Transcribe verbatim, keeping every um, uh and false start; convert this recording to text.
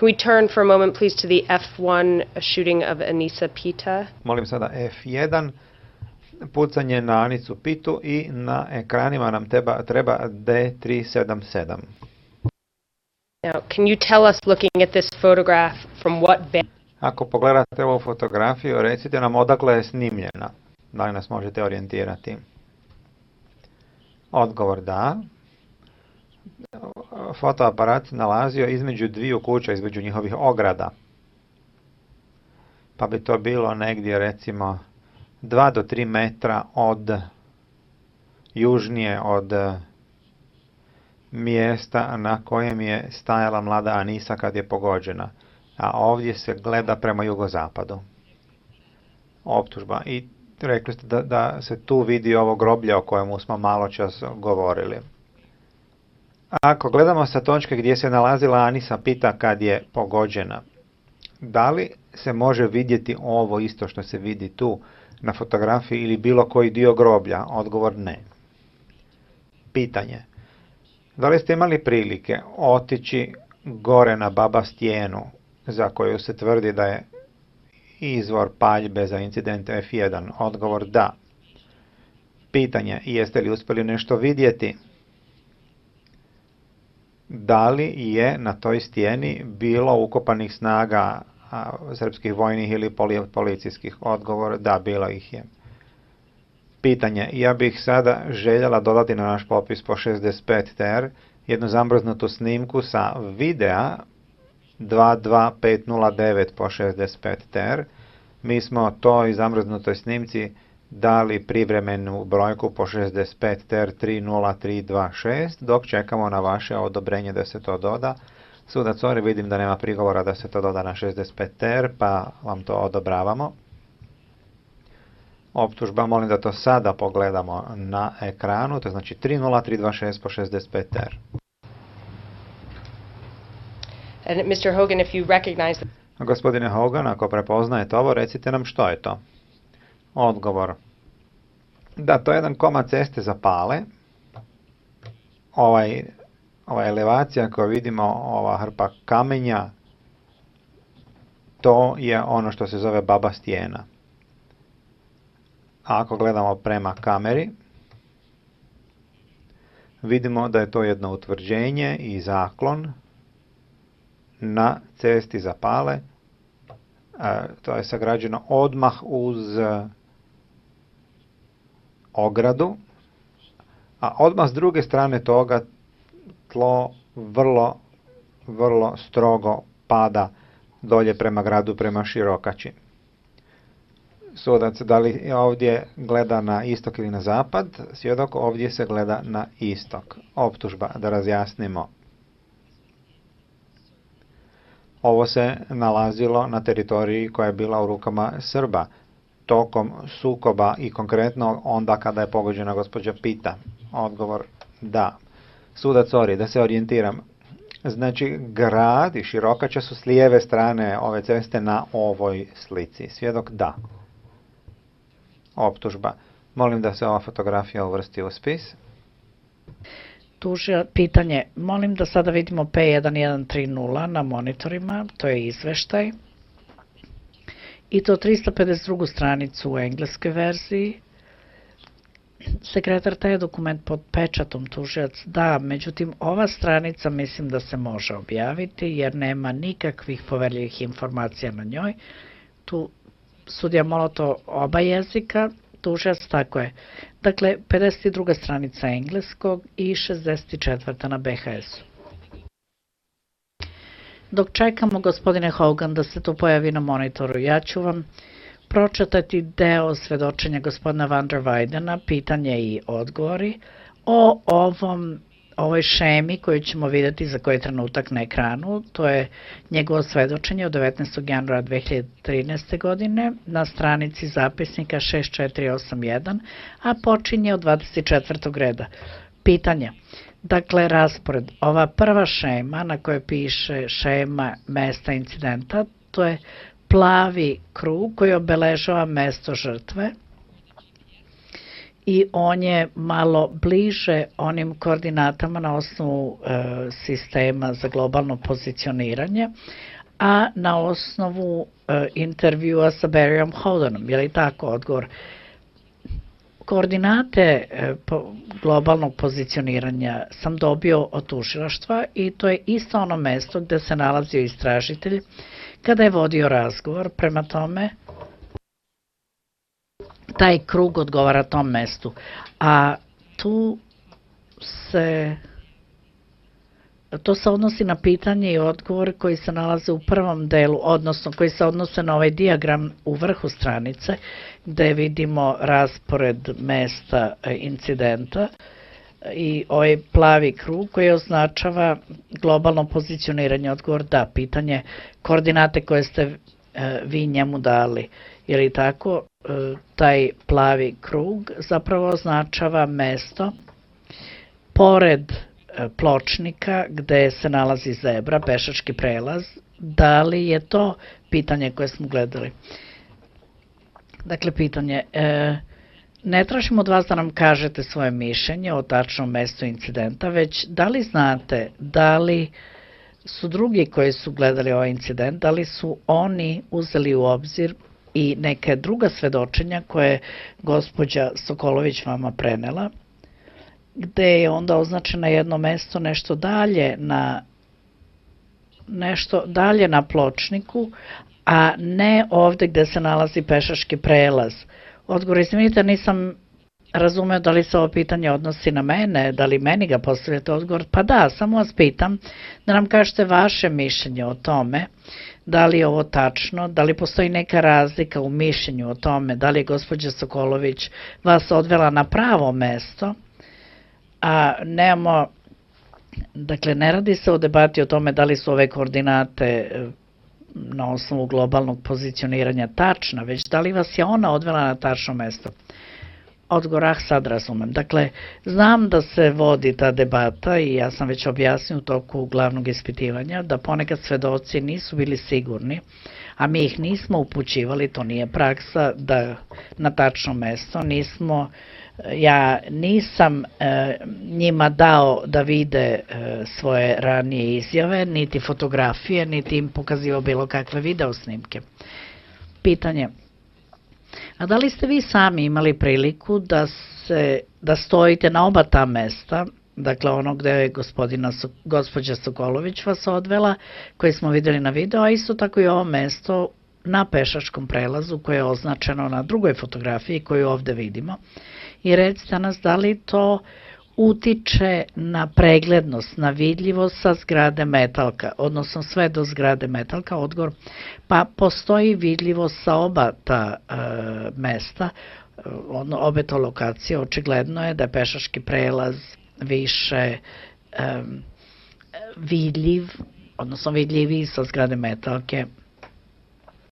Can we turn for a moment, please, to the F one shooting of Anissa Pita? Molim sada F jedan, pucanje na Anisu Pitu i na ekranima nam treba, treba D tri sedam sedam. Now, can you tell us, looking at this photograph, from what band? Ako pogledate ovu fotografiju, recite nam odakle je snimljena. Da li nas možete orijentirati? Odgovor da. Fotoaparat se nalazio između dviju kuća, između njihovih ograda. Pa bi to bilo negdje, recimo, dva do tri metra od južnije od mjesta na kojem je stajala mlada Anisa kad je pogođena. A ovdje se gleda prema jugozapadu. Optužba. I rekli ste da, da se tu vidi ovo groblje o kojemu smo malo čas govorili. Ako gledamo sa točke gdje se nalazila Anisa Pita kad je pogođena, da li se može vidjeti ovo isto što se vidi tu na fotografiji ili bilo koji dio groblja? Odgovor ne. Pitanje. Da li ste imali prilike otići gore na Baba stijenu za koju se tvrdi da je izvor paljbe za incident F jedan? Odgovor da. Pitanje. Jeste li uspjeli nešto vidjeti? Da li je na toj stijeni bilo ukopanih snaga a, srpskih vojnih ili policijskih? Odgovor da, bilo ih je. Pitanje. Ja bih sada željela dodati na naš popis po šezdeset pet T R jednu zamrznutu snimku sa videa dva dva pet nula devet po šezdeset pet T R. Mi smo toj zamrznutoj snimci dali privremenu brojku po šezdeset pet T R tri nula tri dva šest, dok čekamo na vaše odobrenje da se to doda. Sudac Ori, vidim da nema prigovora da se to doda na šezdeset pet T R, pa vam to odobravamo. Optužba, molim da to sada pogledamo na ekranu, to znači tri nula tri dva šest po šezdeset pet T R. And mister Hogan, if you recognize the... Gospodine Hogan, ako prepoznajete ovo, recite nam što je to. Odgovor. Da, to je jedan komad ceste za Pale. Ovaj, ova elevacija koju vidimo, ova hrpa kamenja, to je ono što se zove Baba stijena. A ako gledamo prema kameri, vidimo da je to jedno utvrđenje i zaklon na cesti za Pale. E, to je sagrađeno odmah uz ogradu, a odmah s druge strane toga tlo vrlo, vrlo strogo pada dolje prema gradu, prema Širokači. Sudac, da li ovdje gleda na istok ili na zapad? Svjedok, ovdje se gleda na istok. Optužba, da razjasnimo. Ovo se nalazilo na teritoriji koja je bila u rukama Srba tokom sukoba i konkretno onda kada je pogođena gospođa Pita. Odgovor da. Sudac Ori, da se orijentiram. Znači, grad i Širokača su s lijeve strane ove ceste na ovoj slici. Svjedok da. Optužba. Molim da se ova fotografija uvrsti u spis. Tužio, pitanje. Molim da sada vidimo P jedan jedan tri nula na monitorima. To je izveštaj. I to trista pedeset drugu stranicu u engleskoj verziji. Sekretar, taj je dokument pod pečatom, tužilac da, međutim ova stranica mislim da se može objaviti jer nema nikakvih poverljivih informacija na njoj. Tu sudija Molotov oba jezika, tužilac tako je. Dakle, pedeset druga stranica engleskog i šezdeset četvrta na B H S-u. Dok čekamo, gospodine Hogan, da se to pojavi na monitoru, ja ću vam pročitati deo svedočenja gospodina Van der Weidena, pitanje i odgovori o ovom, ovoj šemi koju ćemo vidjeti za koji trenutak na ekranu. To je njegovo svedočenje od devetnaestog januara dve hiljade trinaeste. godine na stranici zapisnika šest četiri osam jedan, a počinje od dvadeset četvrtog reda. Pitanje. Dakle, raspored. Ova prva šema na kojoj piše šema mesta incidenta, to je plavi krug koji obeležava mesto žrtve i on je malo bliže onim koordinatama na osnovu e, sistema za globalno pozicioniranje, a na osnovu e, intervjua sa Barryom Holdenom. Je li tako odgovor? Koordinate e, po, globalnog pozicioniranja sam dobio od tužilaštva i to je isto ono mesto gde se nalazio istražitelj kada je vodio razgovor. Prema tome, taj krug odgovara tom mestu. A tu se, to se odnosi na pitanje i odgovor koji se nalaze u prvom delu, odnosno koji se odnose na ovaj dijagram u vrhu stranice, gde vidimo raspored mesta incidenta i ovaj plavi krug koji označava globalno pozicioniranje. Odgovor da, pitanje koordinate koje ste vi njemu dali. Je li tako? Taj plavi krug zapravo označava mesto pored pločnika gde se nalazi zebra, pešački prelaz. Da li je to pitanje koje smo gledali? Dakle, pitanje, e, ne tražimo od vas da nam kažete svoje mišljenje o tačnom mestu incidenta, već da li znate, da li su drugi koji su gledali ovaj incident, da li su oni uzeli u obzir i neke druga svedočenja koje je gospođa Sokolović vama prenela, gde je onda označeno jedno mesto nešto dalje na nešto dalje na pločniku, a ne ovde gde se nalazi pešački prelaz. Odgovor, izvinite, nisam razumeo da li se ovo pitanje odnosi na mene, da li meni ga postavljate. Odgovor, pa da, samo vas pitam da nam kažete vaše mišljenje o tome, da li je ovo tačno, da li postoji neka razlika u mišljenju o tome, da li je gospođa Sokolović vas odvela na pravo mesto, a nemamo, dakle, ne radi se o debati o tome da li su ove koordinate na osnovu globalnog pozicioniranja tačna, već da li vas je ona odvela na tačno mesto. Odgovor, ah, sad razumem. Dakle, znam da se vodi ta debata i ja sam već objasnio u toku glavnog ispitivanja da ponekad svedoci nisu bili sigurni, a mi ih nismo upućivali, to nije praksa, da na tačno mesto nismo, ja nisam e, njima dao da vide e, svoje ranije izjave, niti fotografije, niti im pokazivao bilo kakve video snimke. Pitanje, a da li ste vi sami imali priliku da, se, da stojite na oba ta mesta, dakle ono gde je gospodina, gospođa Sokolović vas odvela, koje smo videli na video, a isto tako i ovo mesto na pešačkom prelazu koje je označeno na drugoj fotografiji koju ovde vidimo. I recite nas da li to utiče na preglednost, na vidljivost sa zgrade Metalka, odnosno sve do zgrade Metalka. Odgovor, pa postoji vidljivost sa oba ta e, mesta, ono, obe to lokacije. Očigledno je da je pešački prelaz više e, vidljiv, odnosno vidljiviji sa zgrade Metalke